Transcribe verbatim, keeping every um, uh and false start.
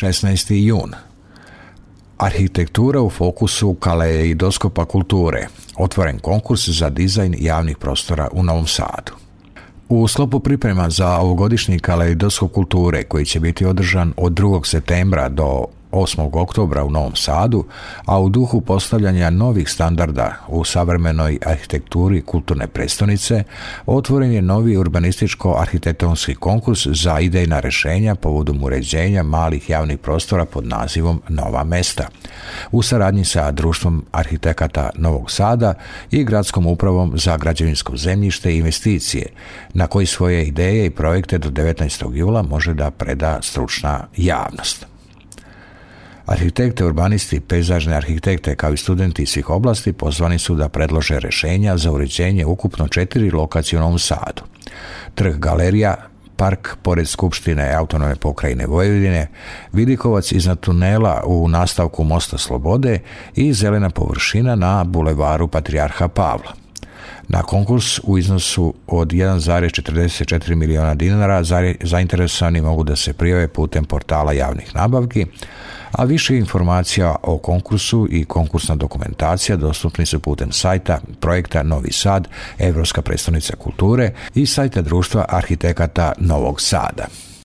šesnaesti jun. Arhitektura u fokusu kaleidoskopa kulture. Otvoren konkurs za dizajn javnih prostora u Novom Sadu. U sklopu priprema za ovogodišnji kaleidoskop kulture koji će biti održan od drugog septembra do osmog oktobra u Novom Sadu, a u duhu postavljanja novih standarda u savremenoj arhitekturi kulturne prestonice, otvoren je novi urbanističko-arhitektonski konkurs za idejna rješenja povodom uređenja malih javnih prostora pod nazivom Nova mesta, u saradnji sa Društvom arhitekata Novog Sada i Gradskom upravom za građevinsko zemljište i investicije, na koji svoje ideje i projekte do devetnaestog jula može da preda stručna javnost. Arhitekte, urbanisti, pejzažne arhitekte kao i studenti iz svih oblasti pozvani su da predlože rješenja za uređenje ukupno četiri lokacije u Novom Sadu. Trg Galerija, park pored Skupštine Autonomne pokrajine Vojvodine, Vidikovac iznad tunela u nastavku Mosta Slobode i zelena površina na bulevaru Patrijarha Pavla. Na konkurs u iznosu od jedan zarez četrdeset četiri miliona dinara zainteresovani mogu da se prijave putem portala javnih nabavki, a više informacija o konkursu i konkursna dokumentacija dostupni su putem sajta projekta Novi Sad, Evropska prestonica kulture i sajta Društva arhitekata Novog Sada.